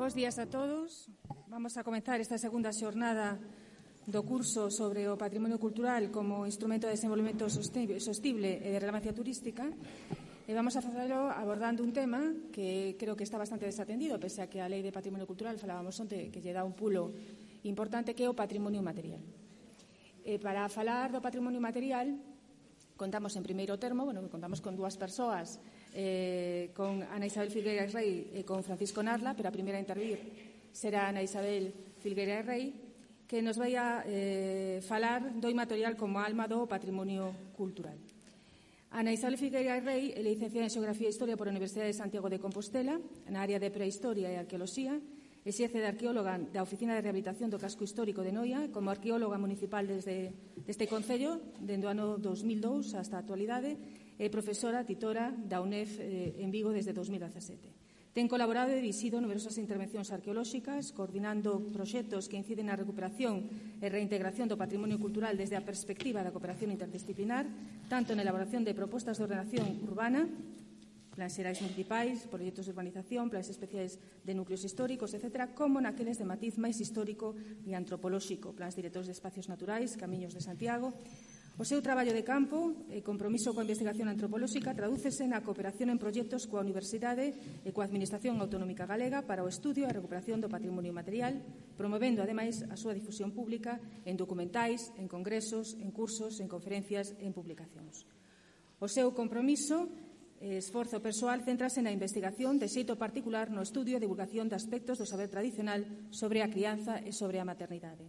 Bos días a todos. Vamos a comenzar esta segunda xornada do curso sobre o patrimonio cultural como instrumento de desenvolvemento sostible e de relevancia turística. E vamos a facelo abordando un tema que creo que está bastante desatendido, pese a que a Lei de Patrimonio Cultural falábamos onte que lle dá un pulo importante, que é o patrimonio material. Para falar do patrimonio material, contamos en primeiro termo, contamos con dúas persoas, con Ana Isabel Filgueiras Rei e con Francisco Narla, pero a primeira a intervir será Ana Isabel Filgueiras Rei, que nos vai a falar do inmaterial como alma do patrimonio cultural. Ana Isabel Filgueiras Rei é licenciada en Xeografía e Historia por a Universidade de Santiago de Compostela, na área de Prehistoria e Arqueoloxía. Exerce de arqueóloga da Oficina de Rehabilitación do Casco Histórico de Noia, como arqueóloga municipal deste Concello, dende o ano 2002 hasta a actualidade, e profesora titora da UNEF en Vigo desde 2017. Ten colaborado e dirixido numerosas intervencións arqueolóxicas, coordinando proxectos que inciden na recuperación e reintegración do patrimonio cultural desde a perspectiva da cooperación interdisciplinar, tanto na elaboración de propostas de ordenación urbana, plans xerais municipais, proxectos de urbanización, plans especiais de núcleos históricos, etc., como naqueles de matiz máis histórico e antropolóxico, plans directores de espacios naturais, camiños de Santiago. O seu traballo de campo e compromiso coa investigación antropolóxica tradúcese na cooperación en proxectos coa Universidade e coa Administración Autonómica Galega para o estudio e a recuperación do patrimonio material, promovendo, ademais, a súa difusión pública en documentais, en congresos, en cursos, en conferencias e en publicacións. O seu compromiso esforzo persoal céntrase na investigación de xeito particular no estudio e divulgación de aspectos do saber tradicional sobre a crianza e sobre a maternidade.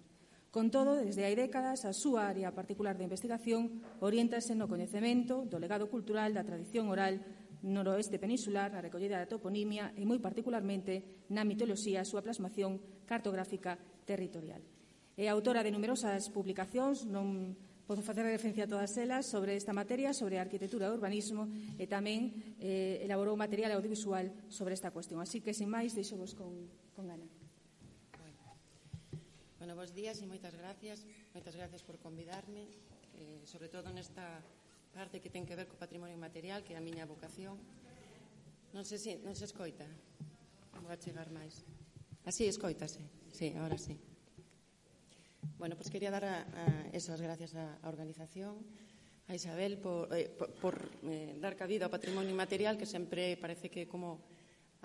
Con todo, desde hai décadas, a súa área particular de investigación oriéntase no coñecemento do legado cultural da tradición oral noroeste peninsular, na recollida da toponimia e, moi particularmente, na mitoloxía, a súa plasmación cartográfica territorial. É autora de numerosas publicacións, non podo facer referencia a todas elas, sobre esta materia, sobre arquitectura e urbanismo, e tamén elaborou material audiovisual sobre esta cuestión. Así que, sin máis, deixo-vos con Ana. Bueno, bons días e moitas gracias. Moitas gracias por convidarme, sobre todo nesta parte que ten que ver co patrimonio material, que é a miña vocación. Non se escoita. Vou a chegar máis. Así, escoitase. Sí, ahora sí. Bueno, pues quería dar as gracias á organización, a Isabel, por dar cabida ao patrimonio material, que sempre parece que é como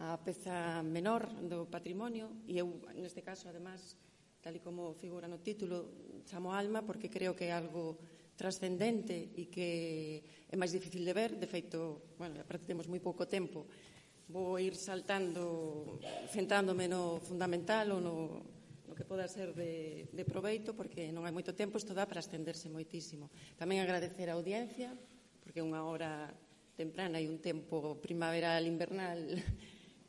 a peza menor do patrimonio, e eu, neste caso, además, tal e como figura no título, chamo alma, porque creo que é algo trascendente e que é máis difícil de ver. De feito, bueno, aparte temos moi pouco tempo, vou ir saltando, centrándome no fundamental ou no que poda ser de proveito, porque non hai moito tempo, isto dá para estenderse moitísimo. Tamén agradecer a audiencia, porque é unha hora temprana e un tempo primaveral, invernal,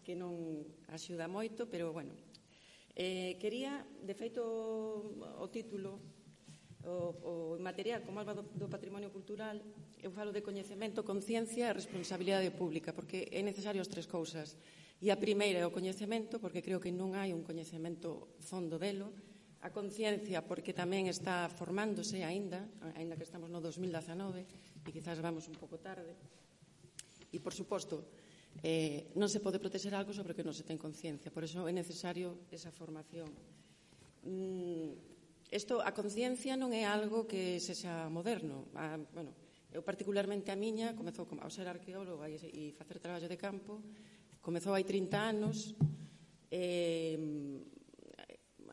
que non axuda moito, pero, bueno. Quería, de feito, o título, o material como alma do patrimonio cultural, eu falo de coñecemento, conciencia e responsabilidade pública, porque é necesario as tres cousas. E a primeira é o coñecemento, porque creo que non hai un coñecemento fondo delo. A conciencia, porque tamén está formándose aínda que estamos no 2019 e quizás vamos un pouco tarde. E, por suposto, non se pode protexer algo sobre o que non se ten conciencia. Por iso é necesario esa formación. A conciencia non é algo que sexa moderno. Eu particularmente a miña comezou ao ser arqueóloga e facer traballo de campo. Comezou hai 30 anos,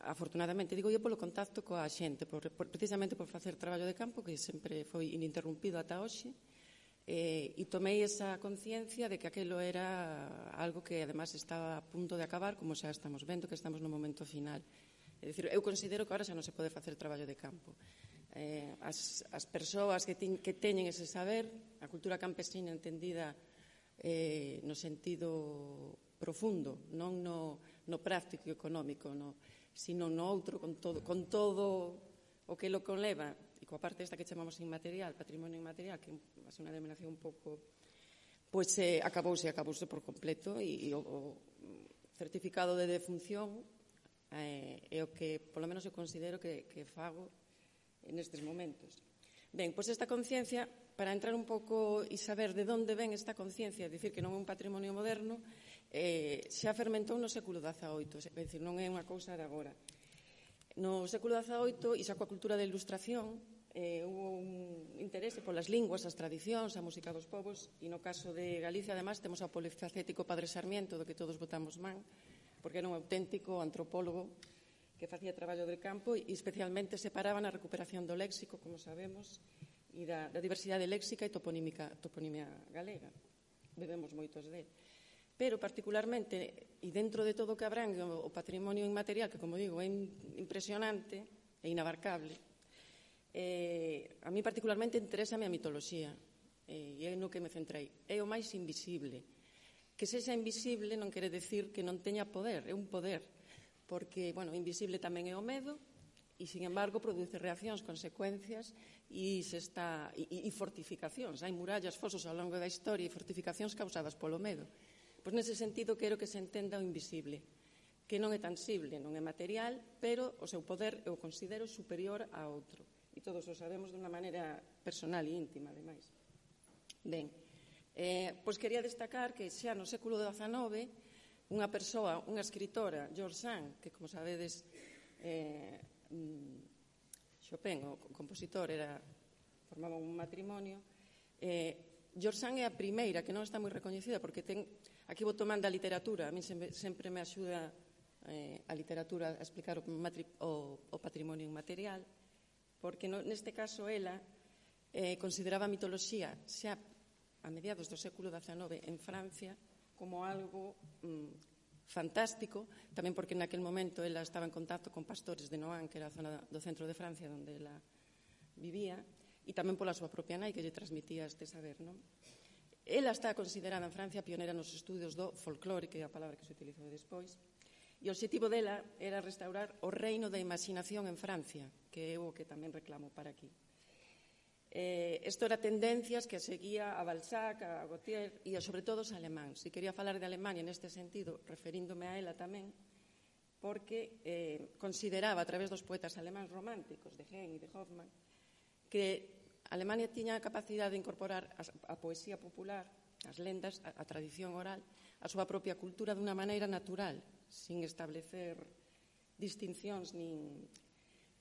afortunadamente, digo eu, polo contacto coa xente, precisamente por facer traballo de campo, que sempre foi ininterrumpido ata hoxe, e tomei esa conciencia de que aquilo era algo que, además, estaba a punto de acabar, como xa estamos vendo que estamos no momento final. É dicir, eu considero que agora xa non se pode facer traballo de campo. As persoas que teñen ese saber, a cultura campesina entendida no sentido profundo, non no práctico e económico, sino no outro, con todo o que lo conleva, e coa parte esta que chamamos inmaterial, patrimonio inmaterial, que é unha denominación un pouco, pois acabouse por completo, e o certificado de defunción é o que, polo menos, eu considero que fago nestes momentos. Ben, pois esta conciencia, para entrar un pouco e saber de onde ven esta conciencia, é dicir, que non é un patrimonio moderno, xa fermentou no século XVIII, é dicir, non é unha cousa de agora. No século XVIII, e xa coa cultura da Ilustración, hubo un interese polas linguas, as tradicións, a música dos povos, e no caso de Galicia, además, temos ao polifacético Padre Sarmiento, do que todos votamos man, porque era un auténtico antropólogo que facía traballo de campo e especialmente se paraba na recuperación do léxico, como sabemos, e da diversidade léxica e toponimia galega. Bebemos moitos dele. Pero, particularmente, e dentro de todo o que abrangue o patrimonio inmaterial, que, como digo, é impresionante e inabarcable, a mí particularmente interésame a mitoloxía, e é no que me centrei. É o máis invisible. Que sexa invisible non quere decir que non teña poder, é un poder, porque, bueno, invisible tamén é o medo, e, sin embargo, produce reaccións, consecuencias e fortificacións. Hai murallas, fosos ao longo da historia e fortificacións causadas polo medo. Pois nese sentido quero que se entenda o invisible, que non é tangible, non é material, pero o seu poder eu considero superior a outro. E todos o sabemos dunha maneira personal e íntima, ademais. Ben, pois quería destacar que xa no século XIX unha persoa, unha escritora, George Sand, que como sabedes Chopin, o compositor, formaba un matrimonio. George Sand é a primeira, que non está moi recoñecida, porque aquí vou tomando a literatura, a mí sempre me axuda a literatura a explicar o patrimonio inmaterial, porque neste caso ela consideraba a mitoloxía xa a mediados do século XIX en Francia como algo fantástico, tamén porque naquel momento ela estaba en contacto con pastores de Nohant, que era a zona do centro de Francia onde ela vivía, e tamén pola súa propia nai que lle transmitía este saber, non? Ela está considerada en Francia pionera nos estudios do folclore, que é a palabra que se utilizou despois, e o obxectivo dela era restaurar o reino da imaginación en Francia, que é o que tamén reclamo para aquí. Isto era tendencias que seguía a Balzac, a Gautier e, sobre todo, os alemáns. E quería falar de Alemania neste sentido, referíndome a ela tamén, porque consideraba, a través dos poetas alemáns románticos, de Heine e de Hoffmann, que Alemania tiña a capacidade de incorporar a poesía popular, as lendas, a tradición oral, a súa propia cultura dunha maneira natural, sin establecer distincións nin...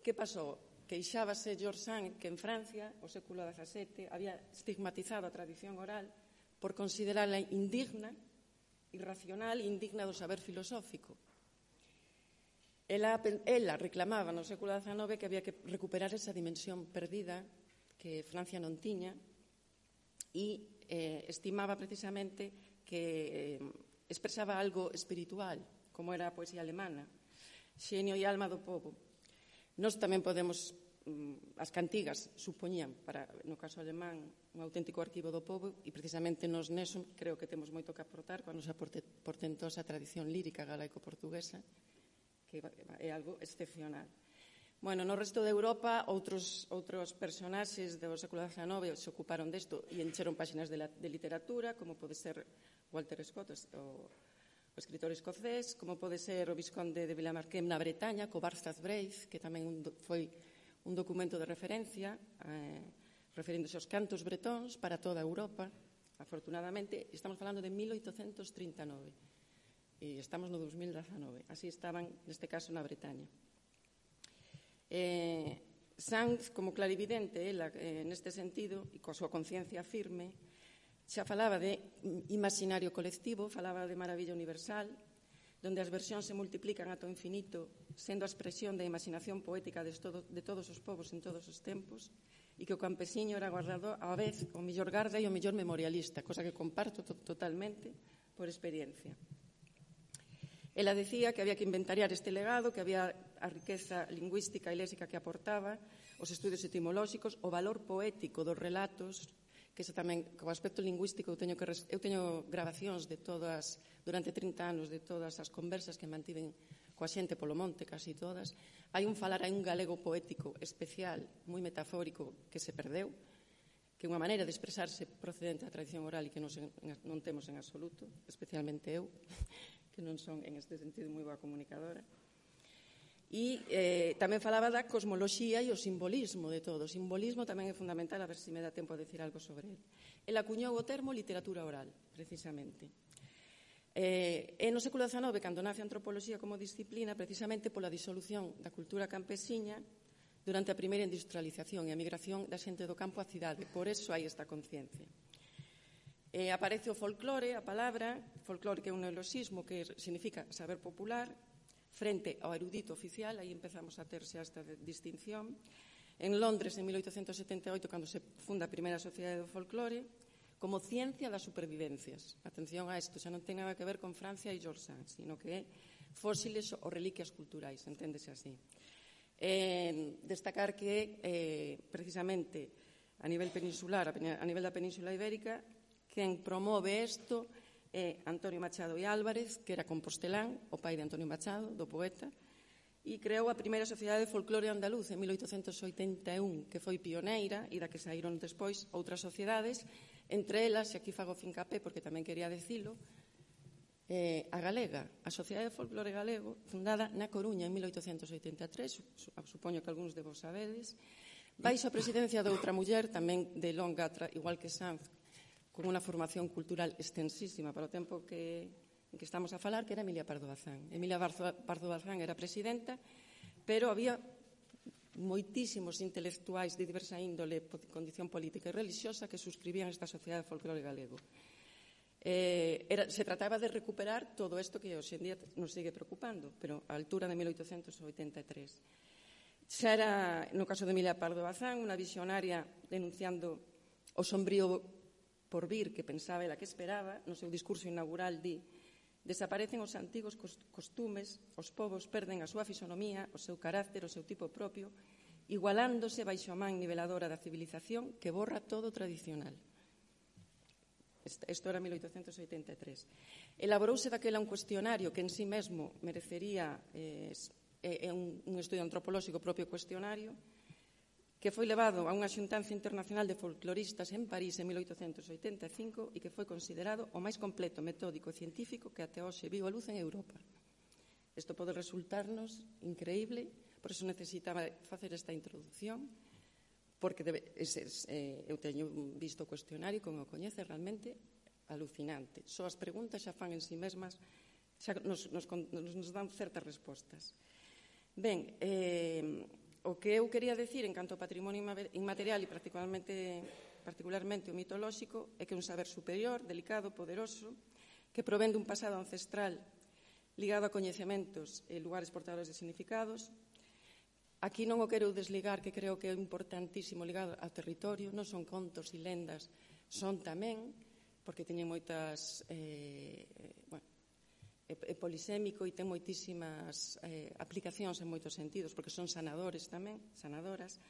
Que pasou? Queixábase George Sand que en Francia, o século XVII, había estigmatizado a tradición oral por considerarla indigna, irracional e indigna do saber filosófico. Ela reclamaba no século XIX que había que recuperar esa dimensión perdida que Francia non tiña e estimaba precisamente que expresaba algo espiritual, como era a poesía alemana, xenio e alma do povo. Nós tamén podemos, as cantigas supoñían, no caso alemán, un auténtico arquivo do povo, e precisamente nos neso creo que temos moito que aportar coa nosa portentosa tradición lírica galaico-portuguesa, que é algo excepcional. Bueno, no resto de Europa, outros personaxes do século XIX se ocuparon desto e encheron páxinas de literatura, como pode ser Walter Scott, o escritor escocés, como pode ser o Visconde de Vilamarquén na Bretaña, co Barzaz Breith, que tamén foi un documento de referencia, referíndose aos cantos bretóns para toda Europa. Afortunadamente, estamos falando de 1839 e estamos no 2019. Así estaban, neste caso, na Bretaña. Sand, como clarividente, ela, neste sentido, e coa súa conciencia firme, xa falaba de imaginario colectivo, falaba de maravilla universal, donde as versións se multiplican ata o infinito, sendo a expresión da imaginación poética de todos os povos en todos os tempos, e que o campesiño era guardado á vez o mellor garda e o mellor memorialista, cosa que comparto totalmente por experiencia. Ela decía que había que inventariar este legado, que había a riqueza lingüística e léxica que aportaba, os estudios etimolóxicos, o valor poético dos relatos, que ese tamén, co aspecto lingüístico, eu teño grabacións de todas, durante 30 anos, de todas as conversas que mantiven coa xente polo monte, casi todas. Hai un galego poético especial, moi metafórico, que se perdeu, que é unha maneira de expresarse procedente da tradición oral e que non temos en absoluto, especialmente eu, que non son, en este sentido, moi boa comunicadora. E tamén falaba da cosmoloxía e o simbolismo de todo. O simbolismo tamén é fundamental, a ver se me dá tempo a decir algo sobre ele. Ele acuñou o termo literatura oral, precisamente. É no século XIX cando nace a antropoloxía como disciplina precisamente pola disolución da cultura campesiña durante a primeira industrialización e a migración da xente do campo á cidade. Por eso hai esta conciencia. Aparece o folclore, a palabra, folclore que é un neoloxismo que significa saber popular, frente ao erudito oficial, aí empezamos a terse esta distinción. En Londres, en 1878, cando se funda a primeira sociedade do folclore, como ciencia das supervivencias. Atención a isto, xa non ten nada que ver con Francia e George Sand, sino que é fósiles ou reliquias culturais, enténdese así. Destacar que, precisamente, a nivel peninsular, a nivel da Península Ibérica, quen promove isto é Antonio Machado e Álvarez, que era compostelán, o pai de Antonio Machado, do poeta, e creou a primeira sociedade de folclore andaluz en 1881, que foi pioneira e da que saíron despois outras sociedades, entre elas, e aquí fago fincapé porque tamén quería decilo, a galega, a Sociedade de Folclore Galego, fundada na Coruña en 1883, supoño que algúns de vos sabedes, baixo a presidencia de outra muller, tamén de longa, igual que Sanz, con unha formación cultural extensísima para o tempo en que estamos a falar, que era Emilia Pardo Bazán. Emilia Pardo Bazán era presidenta, pero había moitísimos intelectuais de diversa índole, condición política e religiosa, que suscribían esta Sociedade de Folclore Galego. Se trataba de recuperar todo isto que hoxe en día nos sigue preocupando, pero a altura de 1883. Xa era, no caso de Emilia Pardo Bazán, unha visionaria denunciando o sombrío porvir que pensaba ela que esperaba. No seu discurso inaugural di: desaparecen os antigos costumes, os povos perden a súa fisonomía, o seu carácter, o seu tipo propio, igualándose baixo a man niveladora da civilización que borra todo tradicional. Isto era 1883. Elaborouse daquela un cuestionario que en sí mesmo merecería un estudio antropolóxico propio cuestionario, que foi levado a unha xuntanza internacional de folcloristas en París en 1885 e que foi considerado o máis completo, metódico e científico que até hoxe viu a luz en Europa. Isto pode resultarnos increíble, por iso necesitaba facer esta introducción, porque eu teño visto o cuestionario, como o coñece, realmente alucinante. Só as preguntas xa fan en si mesmas, xa nos dan certas respostas. Ben, o que eu quería decir en canto ao patrimonio inmaterial e particularmente o mitolóxico é que é un saber superior, delicado, poderoso, que provén dun pasado ancestral ligado a coñecementos e lugares portadores de significados. Aquí non o quero desligar, que creo que é importantísimo ligado ao territorio, non son contos e lendas, son tamén, porque teñen moitas... é polisémico e ten moitísimas aplicacións en moitos sentidos, porque son sanadores tamén, sanadoras,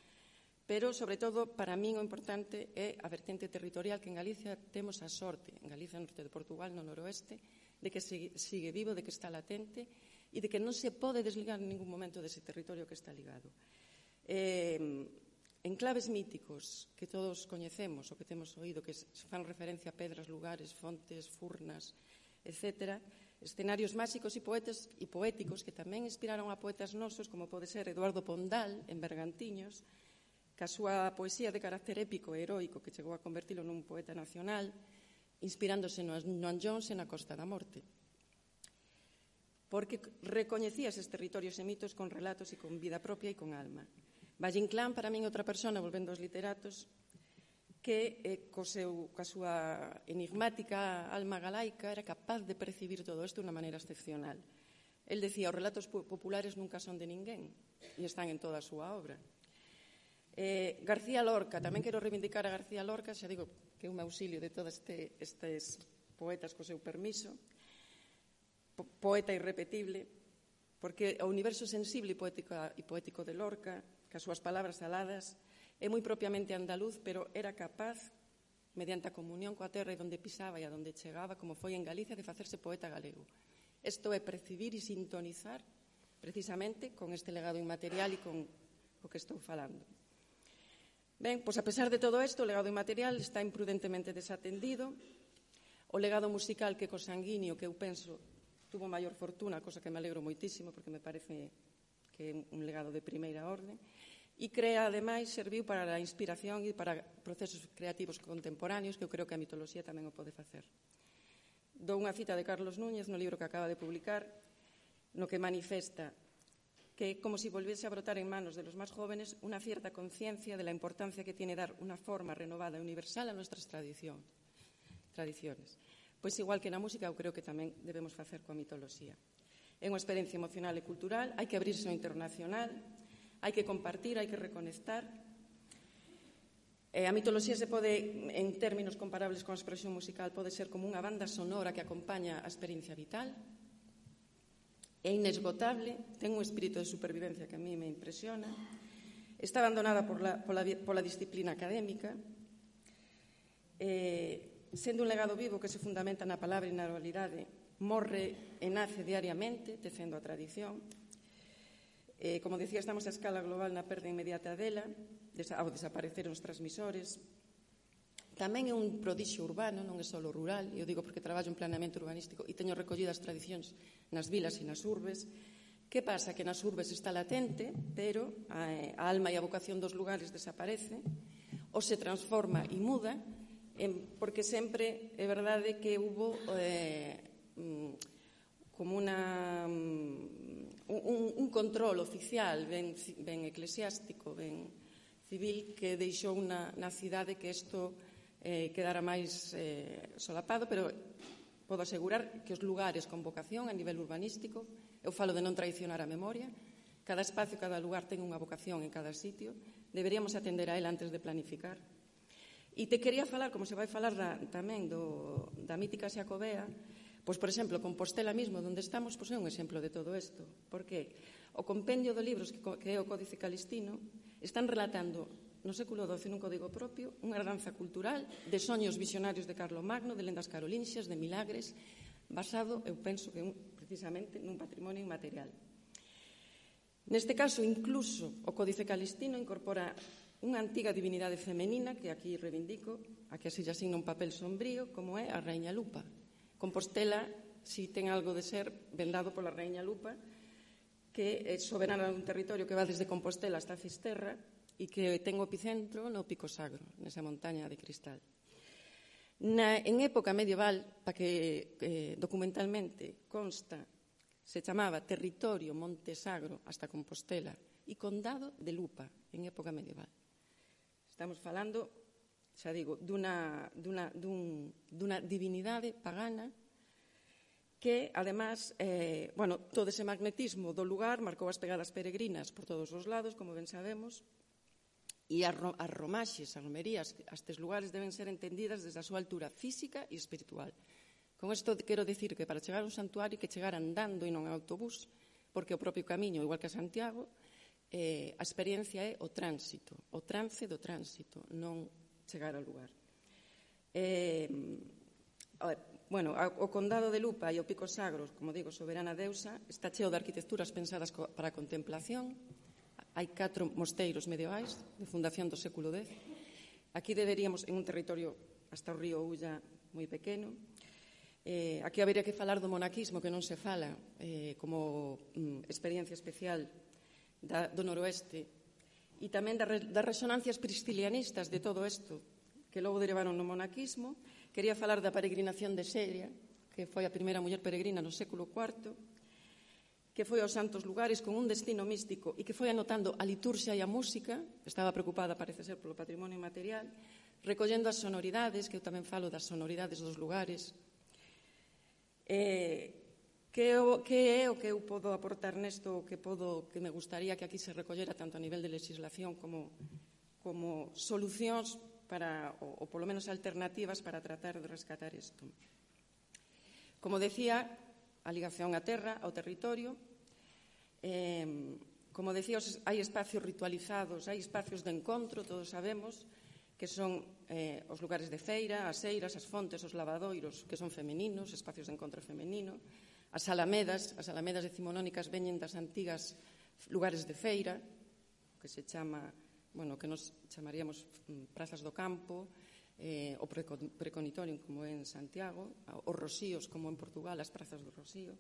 pero, sobre todo, para min o importante é a vertente territorial, que en Galicia temos a sorte, en Galicia, no norte de Portugal, no noroeste, de que sigue vivo, de que está latente e de que non se pode desligar en ningún momento dese territorio que está ligado. Enclaves míticos que todos coñecemos, o que temos oído, que fan referencia a pedras, lugares, fontes, furnas, etc., escenarios máxicos e poéticos que tamén inspiraron a poetas nosos, como pode ser Eduardo Pondal, en Bergantiños, que a súa poesía de carácter épico e heroico que chegou a convertilo nun poeta nacional, inspirándose no Noam Jones e na Costa da Morte. Porque recoñecía eses territorios e mitos con relatos e con vida propia e con alma. Valle Inclán, para min, outra persona, volvendo aos literatos, que coa súa enigmática alma galaica era capaz de percibir todo isto de unha maneira excepcional. El decía, os relatos populares nunca son de ninguén e están en toda a súa obra. García Lorca, tamén quero reivindicar a García Lorca, xa digo que é un auxilio de todos estes poetas co seu permiso, poeta irrepetible, porque o universo sensible e poético de Lorca, que as súas palabras aladas, é moi propiamente andaluz, pero era capaz, mediante a comunión coa terra e donde pisaba e a donde chegaba, como foi en Galicia, de facerse poeta galego. Isto é percibir e sintonizar precisamente con este legado inmaterial e con o que estou falando. Ben, pois a pesar de todo isto, o legado inmaterial está imprudentemente desatendido. O legado musical que cosanguíneo, que eu penso, tuvo maior fortuna, cosa que me alegro moitísimo, porque me parece que é un legado de primeira orde. E crea, ademais, serviu para a inspiración e para procesos creativos contemporáneos, que eu creo que a mitoloxía tamén o pode facer. Dou unha cita de Carlos Núñez no libro que acaba de publicar, no que manifesta que é como si volviese a brotar en manos de los más jóvenes una cierta conciencia de la importancia que tiene dar una forma renovada e universal a nuestras tradiciones. Pois igual que na música, eu creo que tamén debemos facer coa mitoloxía. É unha experiencia emocional e cultural, hai que abrirse ao internacional, hai que compartir, hai que reconectar. A mitoloxía se pode, en términos comparables con a expresión musical, pode ser como unha banda sonora que acompaña a experiencia vital. É inesgotable, ten un espírito de supervivencia que a mí me impresiona. Está abandonada pola disciplina académica. Sendo un legado vivo que se fundamenta na palabra e na oralidade, morre e nace diariamente, tecendo a tradición. Como decía, estamos a escala global na perda inmediata dela, ao desaparecer os transmisores. Tamén é un prodixio urbano, non é só rural, eu digo porque traballo en planeamento urbanístico e teño recollidas tradicións nas vilas e nas urbes. Que pasa? Que nas urbes está latente, pero a alma e a vocación dos lugares desaparece, ou se transforma e muda, porque sempre é verdade que hubo como un control oficial ben eclesiástico, ben civil, que deixou na cidade que isto quedara máis solapado, pero podo asegurar que os lugares con vocación a nivel urbanístico, eu falo de non traicionar a memoria, cada espacio, cada lugar ten unha vocación en cada sitio, deberíamos atender a ela antes de planificar. E te quería falar, como se vai falar tamén da mítica Xacobea, pois, por exemplo, Compostela mismo, onde estamos, pois é un exemplo de todo isto. Porque o compendio de libros que é o Códice Calistino están relatando no século XII nun código propio unha herdanza cultural de soños visionarios de Carlomagno, de lendas carolinxias, de milagres, basado, eu penso que precisamente nun patrimonio inmaterial. Neste caso, incluso, o Códice Calistino incorpora unha antiga divinidade femenina que aquí reivindico, a que así asigna un papel sombrío, como é a Raíña Lupa. Compostela, si ten algo de ser vendado pola Raíña Lupa, que é soberana dun territorio que va desde Compostela hasta Fisterra e que ten o epicentro no Pico Sagro, nesa montaña de cristal. En época medieval, para que documentalmente consta, se chamaba Territorio Montesagro hasta Compostela e Condado de Lupa, en época medieval. Estamos falando, xa digo, dunha divinidade pagana que, además, todo ese magnetismo do lugar marcou as pegadas peregrinas por todos os lados, como ben sabemos, e as romaxes, as romerías, estes lugares deben ser entendidas desde a súa altura física e espiritual. Con isto quero dicir que para chegar a un santuario que chegar andando e non en autobús, porque o propio camiño, igual que a Santiago, a experiencia é o tránsito, o trance do tránsito, non chegar ao lugar. O Condado de Lupa e o Pico Sagro, como digo, soberana deusa, está cheo de arquitecturas pensadas para a contemplación. Hai 4 mosteiros medievais de fundación do século X. Aquí deberíamos, en un territorio hasta o río Ulla moi pequeno, aquí habería que falar do monaquismo, que non se fala como experiencia especial do noroeste, e tamén das resonancias priscilianistas de todo isto, que logo derivaron no monaquismo. Quería falar da peregrinación de Xeria, que foi a primeira muller peregrina no século IV, que foi aos santos lugares con un destino místico e que foi anotando a liturxia e a música, estaba preocupada, parece ser, polo patrimonio inmaterial, recollendo as sonoridades, que eu tamén falo das sonoridades dos lugares. Que é o que eu podo aportar nesto, que me gustaría que aquí se recollera tanto a nivel de legislación como solucións para, ou polo menos alternativas para tratar de rescatar isto. Como decía, a ligación á terra, ao territorio. Como decía, hai espacios ritualizados, hai espacios de encontro, todos sabemos, que son os lugares de feira, as eiras, as fontes, os lavadoiros, que son femeninos, espacios de encontro femenino, as alamedas decimonónicas veñen das antigas lugares de feira, que se chama, que nos chamaríamos prazas do campo, o preconitorium, como é en Santiago, os rosíos, como en Portugal, as prazas do Rosío.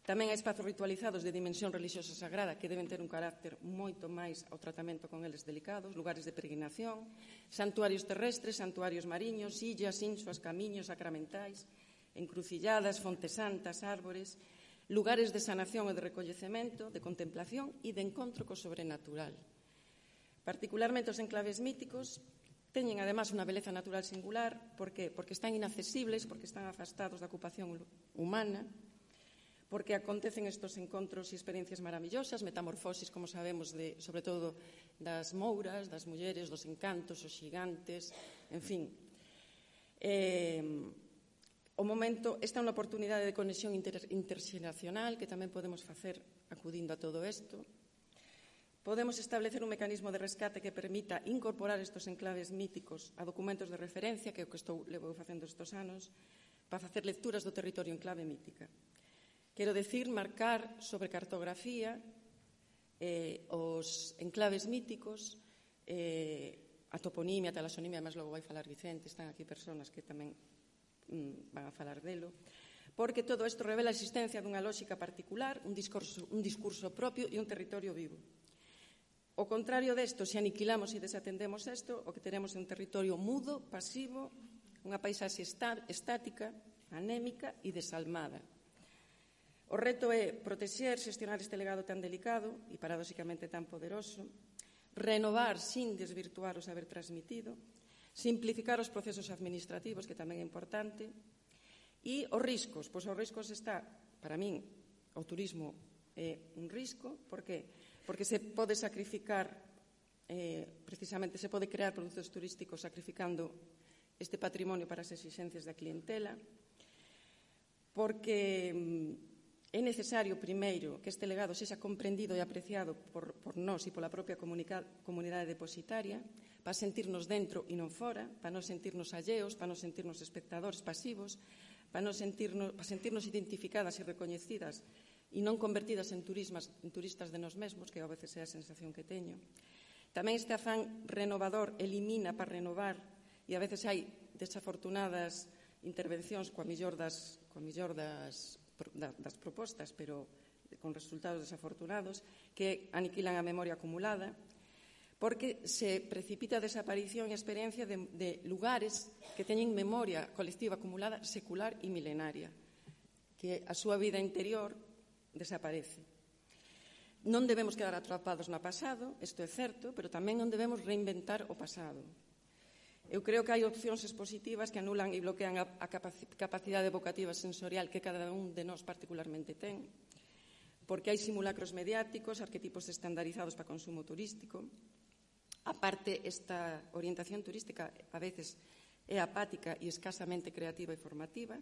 Tamén hai espazos ritualizados de dimensión religiosa sagrada que deben ter un carácter moito máis ao tratamento con eles delicados, lugares de peregrinación, santuarios terrestres, santuarios mariños, illas, insuas, camiños sacramentais, encrucilladas, fontes santas, árbores, lugares de sanación e de recollecemento, de contemplación e de encontro co sobrenatural. Particularmente os enclaves míticos teñen, además, unha beleza natural singular. Por que? Porque están inaccesibles, porque están afastados da ocupación humana, porque acontecen estes encontros e experiencias maravillosas, metamorfosis, como sabemos, sobre todo das mouras, das mulleres, dos encantos, os xigantes, en fin. Esta é unha oportunidade de conexión interxeracional que tamén podemos facer acudindo a todo isto. Podemos establecer un mecanismo de rescate que permita incorporar estes enclaves míticos a documentos de referencia, que é o que levo facendo estes anos, para facer lecturas do territorio en clave mítica. Quero decir, marcar sobre cartografía os enclaves míticos, a toponimia, a talasonimia, además logo vai falar Vicente, están aquí persoas que tamén van a falar delo, porque todo isto revela a existencia dunha lógica particular, un discurso propio e un territorio vivo. O contrario desto, se aniquilamos e desatendemos isto, o que teremos é un territorio mudo, pasivo, unha paisaxe estática, anémica e desalmada. O reto é protexer, xestionar este legado tan delicado e paradóxicamente tan poderoso, renovar sin desvirtuar o saber transmitido, simplificar os procesos administrativos, que tamén é importante, e os riscos. Pois os riscos está, para min, o turismo é un risco. Por qué? Porque se pode sacrificar, precisamente se pode crear produtos turísticos sacrificando este patrimonio para as exixencias da clientela, porque é necesario, primeiro, que este legado sexa comprendido e apreciado por nós e pola propia comunidade depositaria, para sentirnos dentro e non fora, para non sentirnos alleos, para non sentirnos espectadores pasivos, para sentirnos identificadas e recoñecidas e non convertidas en turistas de nós mesmos, que a veces é a sensación que teño. Tamén este afán renovador elimina para renovar, e a veces hai desafortunadas intervencións coa millor das propostas, pero con resultados desafortunados, que aniquilan a memoria acumulada, porque se precipita a desaparición e a experiencia de lugares que teñen memoria colectiva acumulada secular e milenaria, que a súa vida interior desaparece. Non debemos quedar atrapados no pasado, isto é certo, pero tamén non debemos reinventar o pasado. Eu creo que hai opcións expositivas que anulan e bloquean a capacidade evocativa sensorial que cada un de nós particularmente ten, porque hai simulacros mediáticos, arquetipos estandarizados para consumo turístico. A parte, esta orientación turística a veces é apática e escasamente creativa e formativa.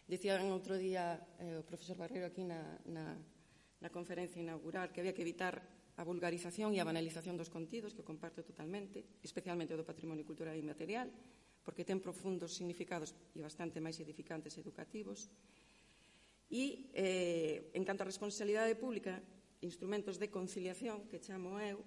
Dicían outro día o profesor Barreiro aquí na conferencia inaugural que había que evitar a vulgarización e a banalización dos contidos, que eu comparto totalmente, especialmente o do patrimonio cultural e inmaterial, porque ten profundos significados e bastante máis edificantes e educativos. E, en canto á responsabilidade pública, instrumentos de conciliación, que chamo eu,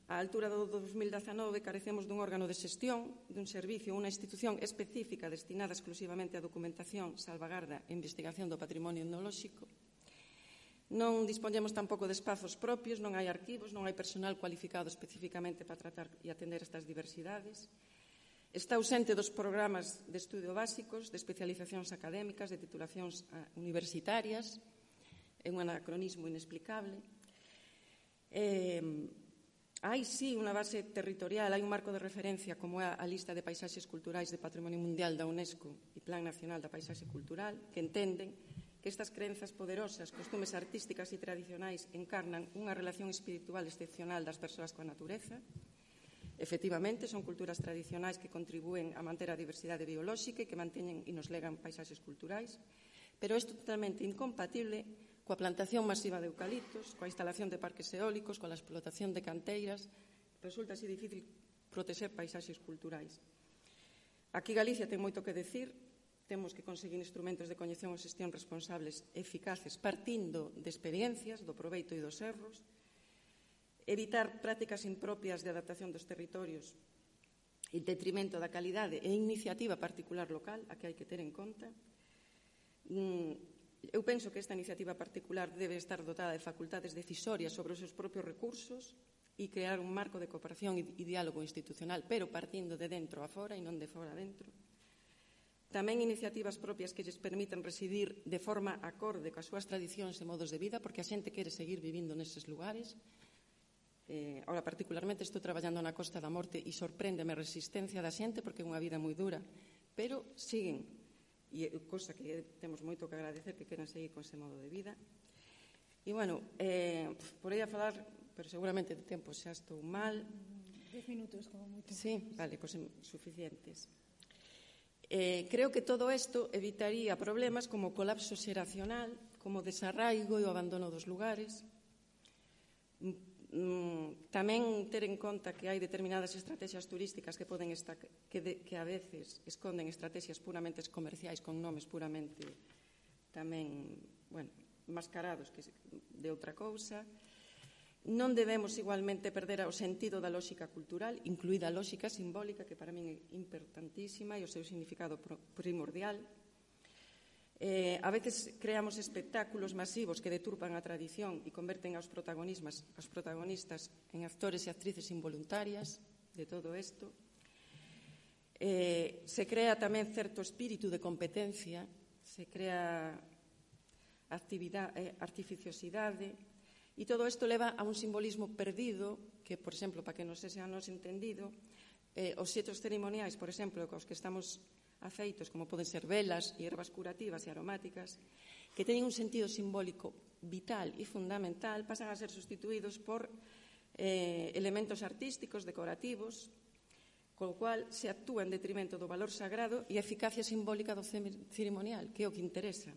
á altura do 2019 carecemos dun órgano de xestión, dun servicio, unha institución específica destinada exclusivamente a documentación, salvagarda e investigación do patrimonio etnolóxico. Non dispoñemos tampouco de espazos propios, non hai arquivos, non hai personal cualificado especificamente para tratar e atender estas diversidades. Está ausente dos programas de estudio básicos, de especializacións académicas, de titulacións universitarias. É un anacronismo inexplicable. Hai, sí, unha base territorial, hai un marco de referencia como é a lista de paisaxes culturais de Patrimonio Mundial da UNESCO e Plan Nacional da Paisaxe Cultural, que entenden que estas crenzas poderosas, costumes artísticas e tradicionais encarnan unha relación espiritual excepcional das persoas coa natureza. Efectivamente, son culturas tradicionais que contribúen a manter a diversidade biolóxica e que manteñen e nos legan paisaxes culturais, pero é totalmente incompatible coa plantación masiva de eucaliptos, coa instalación de parques eólicos, coa explotación de canteiras. Resulta así difícil protexer paisaxes culturais. Aquí Galicia ten moito que decir. Temos que conseguir instrumentos de coñección e xestión responsables e eficaces partindo de experiencias, do proveito e dos erros, evitar prácticas impropias de adaptación dos territorios en detrimento da calidade e iniciativa particular local, a que hai que ter en conta. Eu penso que esta iniciativa particular debe estar dotada de facultades decisorias sobre os seus propios recursos e crear un marco de cooperación e diálogo institucional, pero partindo de dentro a fora e non de fora a dentro. tamén iniciativas propias que lles permitan residir de forma acorde coas súas tradicións e modos de vida, porque a xente quere seguir vivindo neses lugares. Ahora, particularmente, estou traballando na Costa da Morte e sorpréndeme a resistencia da xente porque é unha vida moi dura, pero siguen, e cosa que temos moito que agradecer, que queran seguir con ese modo de vida. E, bueno, porei a falar, pero seguramente de tempo xa estou mal. 10 minutos, como moito. Sí, vale, pois suficientes. Creo que todo isto evitaría problemas como o colapso xeracional, como o desarraigo e o abandono dos lugares. Tamén ter en conta que hai determinadas estrategias turísticas que poden estar, que a veces esconden estrategias puramente comerciais con nomes puramente tamén, bueno, mascarados que de outra cousa. Non debemos igualmente perder o sentido da lógica cultural, incluída a lógica simbólica, que para min é importantísima e o seu significado primordial. A veces creamos espectáculos masivos que deturpan a tradición e converten aos protagonistas en actores e actrices involuntarias de todo isto. Se crea tamén certo espírito de competencia, se crea artificiosidade, e todo isto leva a un simbolismo perdido que, por exemplo, para que non sexa nos entendido, os xeitos ceremoniais, por exemplo, cos que estamos afeitos, como poden ser velas e ervas curativas e aromáticas, que teñen un sentido simbólico vital e fundamental, pasan a ser sustituídos por elementos artísticos, decorativos, co cual se actúa en detrimento do valor sagrado e a eficacia simbólica do ceremonial, que é o que interesa.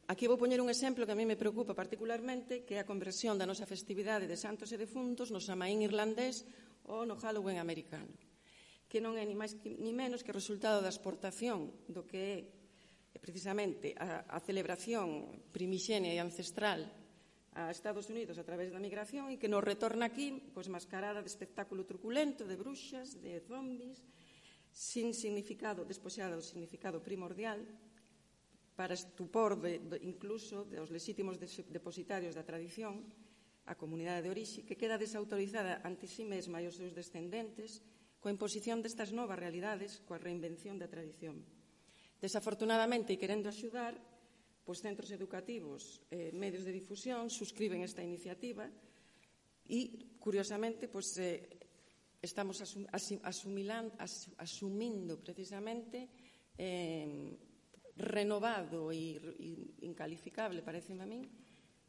Aquí vou poñer un exemplo que a mí me preocupa particularmente, que é a conversión da nosa festividade de santos e defuntos no Samaín irlandés ou no Halloween americano, que non é ni máis ni menos que o resultado da exportación do que é precisamente a celebración primixenia e ancestral a Estados Unidos a través da migración e que nos retorna aquí pois mascarada de espectáculo truculento, de bruxas, de zombies, sin significado, despoxada do significado primordial, para estupor incluso dos lexítimos depositarios da tradición, a comunidade de orixe, que queda desautorizada ante si mesma e os seus descendentes coa imposición destas novas realidades, coa reinvención da tradición. Desafortunadamente, e querendo axudar, pois centros educativos, medios de difusión, suscriben esta iniciativa e, curiosamente, pois estamos asumindo precisamente renovado e incalificable, pareceme a min,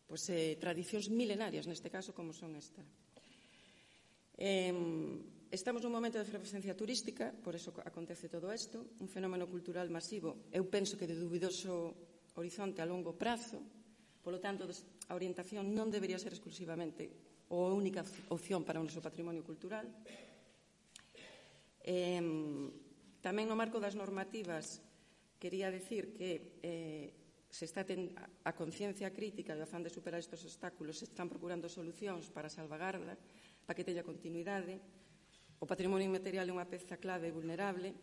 pois, tradicións milenarias, neste caso, como son esta. Estamos nun momento de efervescencia turística, por eso acontece todo isto, un fenómeno cultural masivo, eu penso que de dubidoso horizonte a longo prazo, polo tanto, a orientación non debería ser exclusivamente ou a única opción para o noso patrimonio cultural. Tamén no marco das normativas quería decir que se está a conciencia crítica e o afán de superar estes obstáculos, se están procurando solucións para a salvagarda, para que teña continuidade. O patrimonio inmaterial é unha peza clave e vulnerable,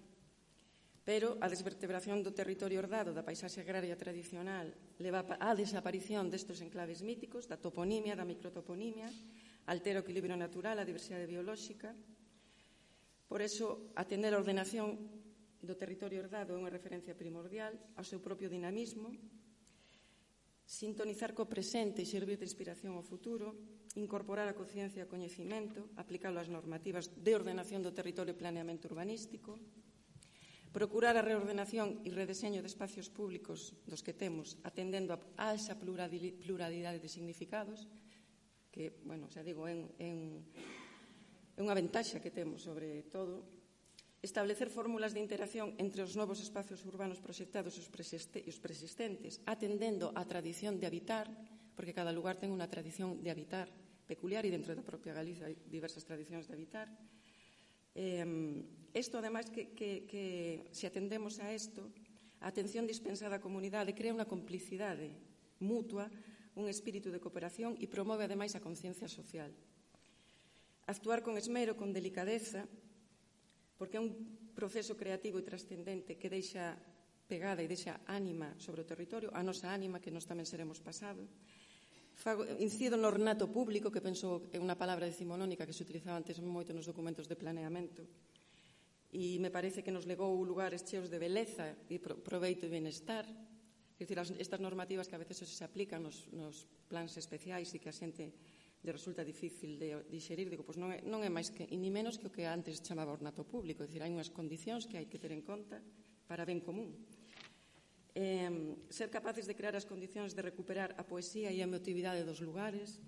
pero a desvertebración do territorio herdado da paisaxe agraria tradicional leva á desaparición destes enclaves míticos, da toponimia, da microtoponimia, altera o equilibrio natural, a diversidade biolóxica. Por eso, atender a ordenación do territorio herdado é unha referencia primordial ao seu propio dinamismo, sintonizar co presente e servir de inspiración ao futuro, incorporar a conciencia e o coñecimento, aplicalo ás normativas de ordenación do territorio e planeamento urbanístico, procurar a reordenación e redeseño de espacios públicos dos que temos, atendendo a esa pluralidade de significados, que, bueno, xa digo, é unha ventaxa que temos sobre todo. Establecer fórmulas de interacción entre os novos espacios urbanos proxectados e os preexistentes, atendendo á tradición de habitar, porque cada lugar ten unha tradición de habitar peculiar e dentro da propia Galiza hai diversas tradicións de habitar. Isto, ademais, que se atendemos a isto, a atención dispensada á comunidade crea unha complicidade mutua, un espírito de cooperación e promove, ademais, a conciencia social. Actuar con esmero, con delicadeza, porque é un proceso creativo e trascendente que deixa pegada e deixa ánima sobre o territorio, a nosa ánima, que nós tamén seremos pasado. Incido no ornato público, que penso é unha palabra decimonónica que se utilizaba antes moito nos documentos de planeamento. e me parece que nos legou lugares cheos de beleza e proveito e benestar. É dicir, estas normativas que a veces se aplican nos plans especiais e que a xente lle resulta difícil de dixerir, digo, pois non é máis que, ni menos que o que antes chamaba ornato público, é dicir, hai unhas condicións que hai que ter en conta para ben común. Ser capaces de crear as condicións de recuperar a poesía e a emotividade dos lugares,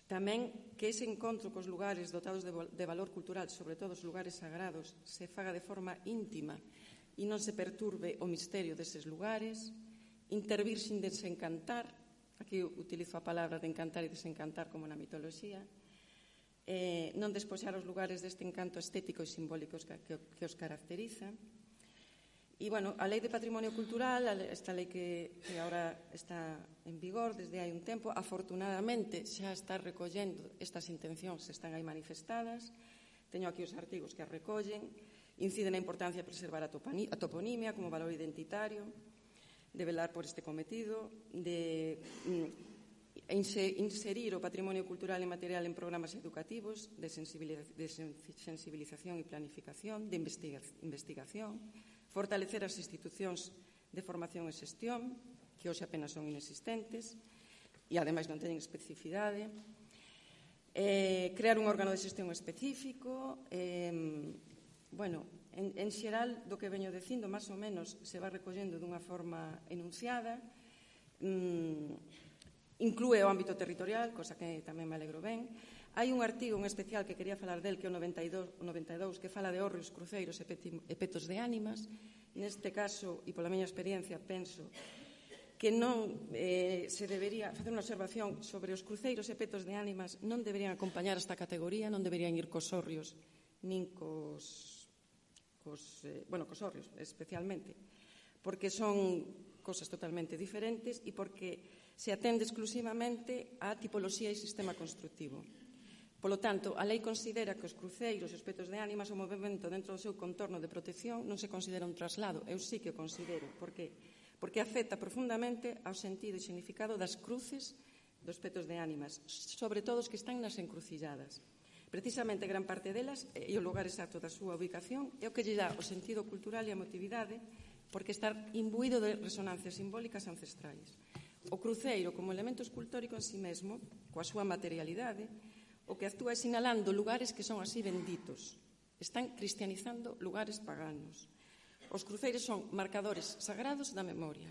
tamén que ese encontro cos lugares dotados de valor cultural, sobre todo os lugares sagrados, se faga de forma íntima e non se perturbe o misterio deses lugares, intervir sin desencantar, aquí utilizo a palabra de encantar e desencantar como na mitoloxía, non despoxar os lugares deste encanto estético e simbólico que os caracteriza. E, bueno, a Lei de Patrimonio Cultural, esta lei que agora está en vigor desde hai un tempo, afortunadamente xa está recollendo estas intencións, están aí manifestadas. Teño aquí os artigos que as recollen. Incide na importancia de preservar a toponimia como valor identitario, de velar por este cometido, de inserir o patrimonio cultural e material en programas educativos de sensibilización e planificación, de investigación, fortalecer as institucións de formación e xestión, que hoxe apenas son inexistentes e, ademais, non teñen especificidade, crear un órgano de xestión específico. Bueno, en xeral, do que veño dicindo, máis ou menos, se va recollendo dunha forma enunciada, inclúe o ámbito territorial, cosa que tamén me alegro ben. Hai un artigo en especial que quería falar del, que é o 92, que fala de hórreos, cruceiros e petos de ánimas. Neste caso, e pola miña experiencia, penso que non se debería facer unha observación sobre os cruceiros e petos de ánimas, non deberían acompañar esta categoría, non deberían ir cos hórreos, nin cos hórreos, especialmente, porque son cosas totalmente diferentes e porque se atende exclusivamente á tipoloxía e sistema constructivo. Polo tanto, a lei considera que os cruceiros e os petos de ánimas, o movimento dentro do seu contorno de protección, non se considera un traslado. Eu sí que o considero. Por qué? Porque afecta profundamente ao sentido e significado das cruces dos petos de ánimas, sobre todo os que están nas encrucilladas. Precisamente, gran parte delas, e o lugar exacto da súa ubicación, é o que lle dá o sentido cultural e a emotividade, porque está imbuído de resonancias simbólicas ancestrais. O cruceiro, como elemento escultórico en si mesmo, coa súa materialidade, o que actúa é sinalando lugares que son así benditos. Están cristianizando lugares paganos. Os cruceiros son marcadores sagrados da memoria.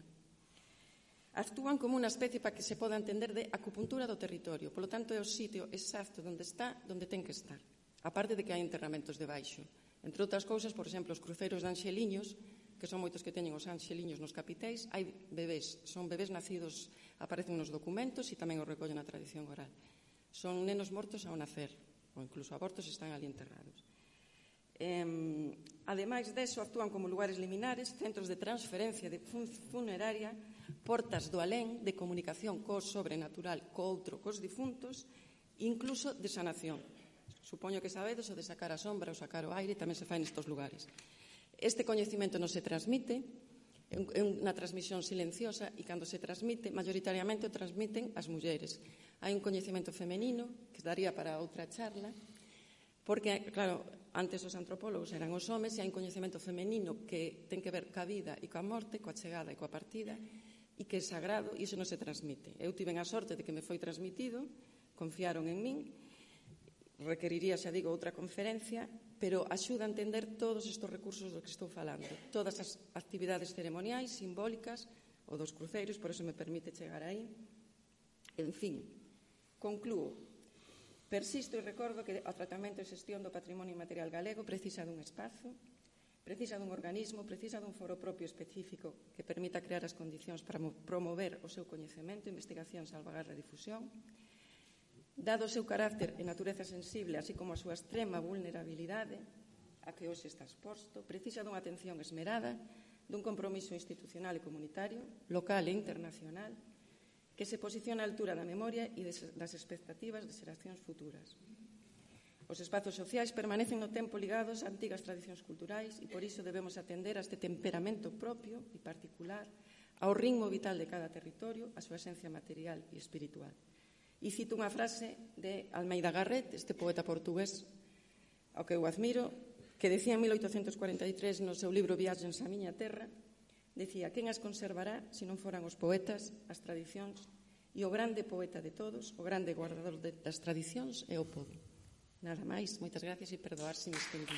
Actúan como unha especie para que se poda entender de acupuntura do territorio. Polo tanto, é o sitio exacto onde está, onde ten que estar. A parte de que hai enterramentos debaixo. Entre outras cousas, por exemplo, os cruceiros de anxeliños, que son moitos que teñen os anxeliños nos capitéis, hai bebés. Son bebés nacidos, aparecen nos documentos e tamén os recollen na tradición oral. Son nenos mortos ao nacer, ou incluso abortos están ali enterrados. Ademais deso, actúan como lugares liminares, centros de transferencia de funeraria, portas do alén, de comunicación co sobrenatural, co outro, cos difuntos, incluso de sanación. Supoño que sabedes o de sacar a sombra ou sacar o aire, tamén se fai nestes lugares. Este coñecemento non se transmite, é unha transmisión silenciosa, e cando se transmite, maioritariamente o transmiten as mulleres. Hai un coñecemento femenino, que daría para outra charla, porque, claro, antes os antropólogos eran os homes, e hai un coñecemento femenino que ten que ver coa vida e coa morte, coa chegada e coa partida, e que é sagrado, e iso non se transmite. Eu tiven a sorte de que me foi transmitido, confiaron en min, requeriría, xa digo, outra conferencia, pero axuda a entender todos estes recursos dos que estou falando, todas as actividades ceremoniais, simbólicas, ou dos cruceiros, por eso me permite chegar aí. En fin, conclúo. Persisto e recordo que o tratamento e xestión do patrimonio inmaterial galego precisa dun espazo, precisa dun organismo, precisa dun foro propio específico que permita crear as condicións para promover o seu coñecemento, investigación, salvaguarda e difusión. Dado o seu carácter e natureza sensible, así como a súa extrema vulnerabilidade a que hoxe está exposto, precisa dunha atención esmerada, dun compromiso institucional e comunitario, local e internacional, que se posiciona á altura da memoria e das expectativas de xeracións futuras. Os espazos sociais permanecen no tempo ligados a antigas tradicións culturais e por iso debemos atender a este temperamento propio e particular, ao ritmo vital de cada territorio, a súa esencia material e espiritual. E cito unha frase de Almeida Garrett, este poeta portugués ao que eu admiro, que decía en 1843 no seu libro Viaxes á miña terra, decía: quen as conservará se non foran os poetas, as tradicións, e o grande poeta de todos, o grande guardador das tradicións é o pobo. Nada máis, moitas gracias e perdoar se me estendí.